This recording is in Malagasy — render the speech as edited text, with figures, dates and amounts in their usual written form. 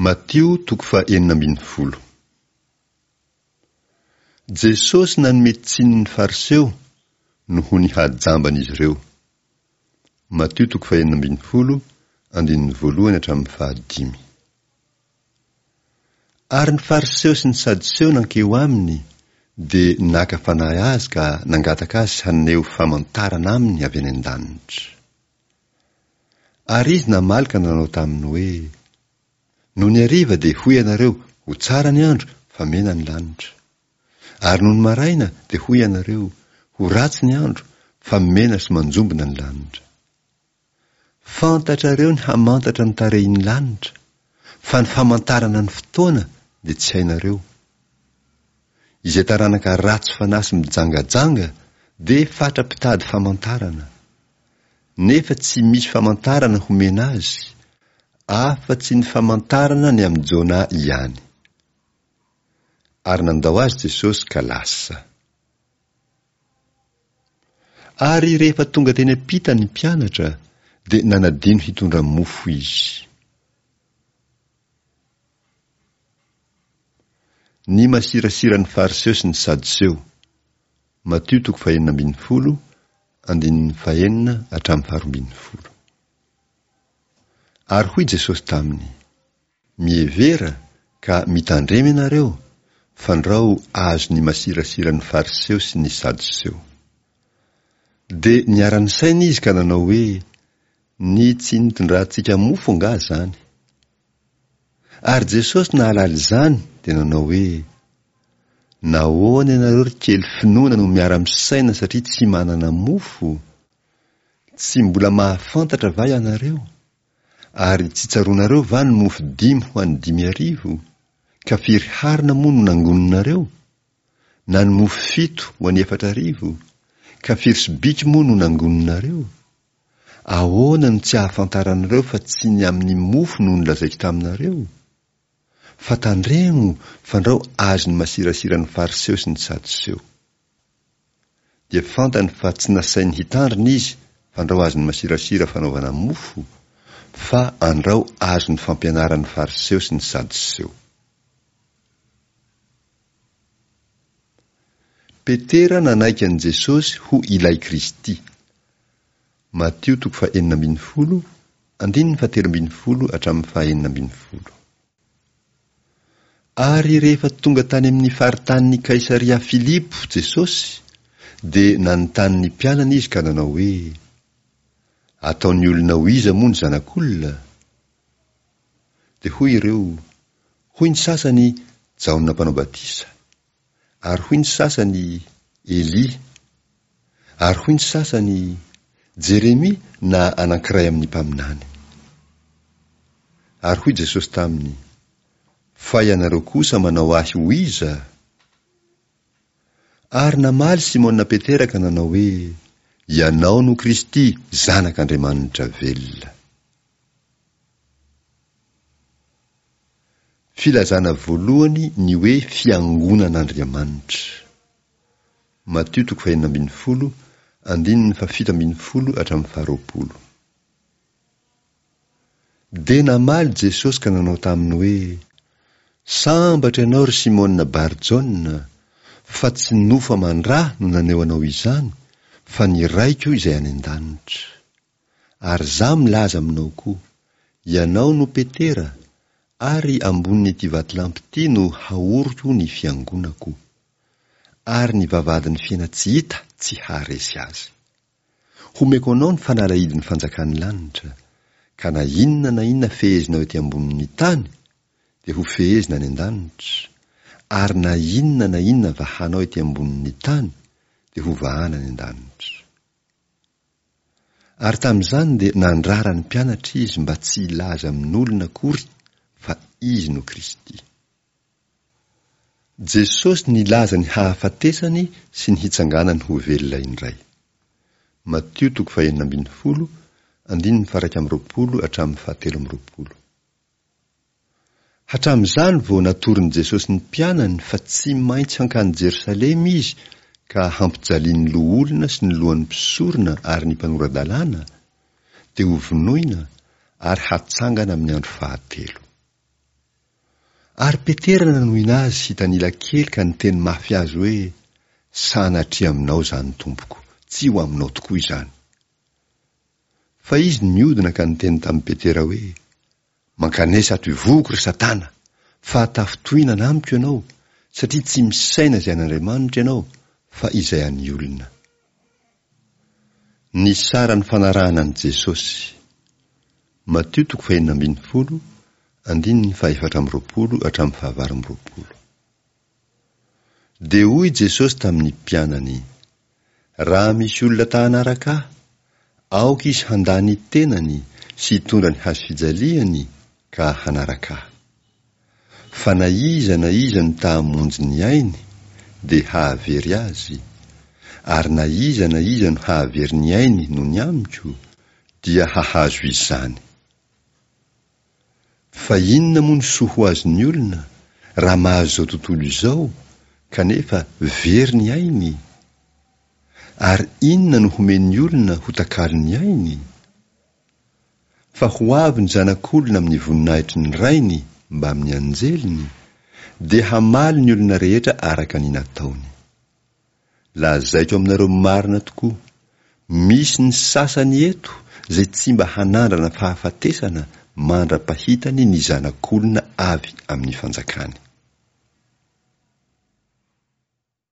Matio toko faha 16. Jesosy nanome tsiny ny Fariseo noho ny hajamban'izy ireo. Matio toko faha-16, andininy voalohany hatramin'ny fahadimy. Ary ny Fariseo sy ny Sadoseo nankeo aminy, dia naka fanahy azy ka nangataka azy haneho famantarana aminy avy any an-danitra. Ary izy namaly ka nanao taminy hoe, Nony hariva dia hoy ianareo, Ho tsara ny andro, fa mena ny lanitra. Ary nony maraina dia hoy ianareo, Ho ratsy ny andro, fa mena sy manjombona ny lanitra. Fantatrareo ny hamantatra ny tarehin'ny lanitra, fa ny famantarana ny fotoana dia tsy hainareo. Izay taranaka ratsy fanahy sy mijangajanga dia fatra-pitady famantarana. Nefa tsy misy famantarana homena azy, afa-tsy ny famantarana ny amin'i Jona ihany. Ary nandao azy Jesosy ka lasa. Ary rehefa tonga teny am-pita ny mpianatra, dia nanadino hitondra mofo izy. Ny masirasiran'ny Fariseo sy ny Sadoseo. Matio toko fahenina ambinifolo, andininy fahenina hatramin'ny faharoa ambin'ny folo. Ary hoy Jesosy taminy, Mihevera ka mitandrema ianareo, fandrao azon'ny masirasiran'ny Fariseo sy ny Sadoseo. Dia niara-nisaina izy ka nanao hoe, Ny tsy nitondrantsika mofo angaha izany? Ary Jesosy nahalala izany dia nanao hoe, Nahoana ianareo ry kely finoana no miara-misaina satria tsy manana mofo? Tsy mbola mahafantatra va ianareo? Ary tsy tsaroanareo va ny mofo dimy ho an'ny 5000? Ka firy harona moa no nangoninareo? Na ny mofo fito ho an'ny 4000? Ka firy sobiky moa no nangoninareo? Ahoana no tsy ahafantaranareo fa tsy ny amin'ny mofo no nolazaiko taminareo? Fa tandremo fandrao azon'ny masirasiran'ny Fariseo sy ny Sadoseo. Dia fantany fa tsy nasainy hitandrina izy fandrao azon'ny masirasira fanaovana mofo, fa andrao azon'ny fampianaran'ny Fariseo sy ny Sadoseo. Petera nanaiky an'i Jesosy ho Ilay Kristy. Matio toko fahenina ambinifolo, andininy fahatelo ambinifolo hatramin'ny fahenina ambinifolo. Ary rehefa tonga tany amin'ny faritanin'i Kaisaria Filipo Jesosy, dia nanontany ny mpianany izy ka nanao hoe, Ataon'ny olona ho iza moa ny Zanak'olona? Dia hoy ireo, Hoy ny sasany, Jaona Mpanao Batisa. Ary hoy ny sasany, Elia. Ary hoy ny sasany, Jeremia na anankiray amin'ny mpaminany. Ary hoy Jesosy taminy, Fa ianareo kosa manao Ahy ho iza? Ary namaly Simona Petera ka nanao hoe, Ianao no Kristy, Zanak'Andriamanitra velona. Filazana voalohany ny hoe Fiangonan'Andriamanitra. Matio toko fahenina ambinifolo, andininy fahafito ambinifolo hatramin'ny faharoapolo. Dia namaly Jesosy ka nanao taminy hoe, Sambatra ianao ry Simona Bar-Jaona, fa tsy nofo aman-dra no naneho anao izany, fa ny Raiko izay any an-danitra. Ary Izaho milaza aminao koa, ianao no Petera, ary ambonin'ity vatolampy ity no haoriko ny fiangonako, ary ny vavahadin'ny fiaina-tsy hita tsy haharesy azy. Homeko anao ny fanalahidin'ny fanjakan'ny lanitra, ka na inona na inona fehezinao ety ambonin'ny tany, dia ho fehezina any an-danitra, ary na inona na inona vahanao ety ambonin'ny tany, dia ho vahana any an-danitra. Ary tamin'izany dia nandrara ny mpianatra izy mba tsy hilaza amin'olona akory fa izy no Kristy. Jesosy nilaza ny hahafatesany sy ny hitsanganany ho velona indray. Matio toko fahenina ambinifolo, andininy faha-iraika amby roapolo hatramin'ny fahatelo amby roapolo. Hatramin'izany vao natoron'i Jesosy ny mpianany fa tsy maintsy hankany Jerosalema izy ka hampijalian'ny loholona sy ny lohan'ny mpisorona ary ny mpanora-dalàna, dia hovonoina ary hatsangana amin'ny andro fahatelo. Ary Petera nanohina azy hitanila kely ka niteny mafy azy hoe, Sanatria aminao izany, Tompoko, tsy ho aminao tokoa izany. Fa izy niodina ka niteny tamin'i Petera hoe, Mankanesa ato ivohoko, ry Satana, fa tafintohinana amiko ianao, satria tsy misaina izay an'Andriamanitra ianao, fa izay an'ny olona. Ny saran'ny fanarahana an'i Jesosy. Matio toko fahenina ambin'ny folo, andininy fahefatra amby roapolo hatramin'ny fahavalo amby roapolo. Dia hoy Jesosy tamin'ny mpianany, Raha misy olona ta hanaraka Ahy, aoka izy handà ny tenany sy hitondra ny hazo fijaliany ka hanaraka Ahy. Fa na iza na iza no ta hamonjy ny ainy, dia hahavery azy, ary na iza na iza no hahavery ny ainy noho ny amiko, dia hahazo izany. Fa inona moa no soa ho azon'ny olona raha mahazo izao tontolo izao kanefa very ny ainy? Ary inona no homen'ny olona ho takalon'ny ainy? Fa ho avy ny Zanak'olona amin'ny voninahitry ny Rainy mbamin'ny anjeliny, dia hamaly ny olona rehetra araka ny nataony. Lazaiko aminareo marina tokoa, misy ny sasany eto izay tsy mba hanandrana fahafatesana mandra-pahitany ny Zanak'olona avy amin'ny fanjakany.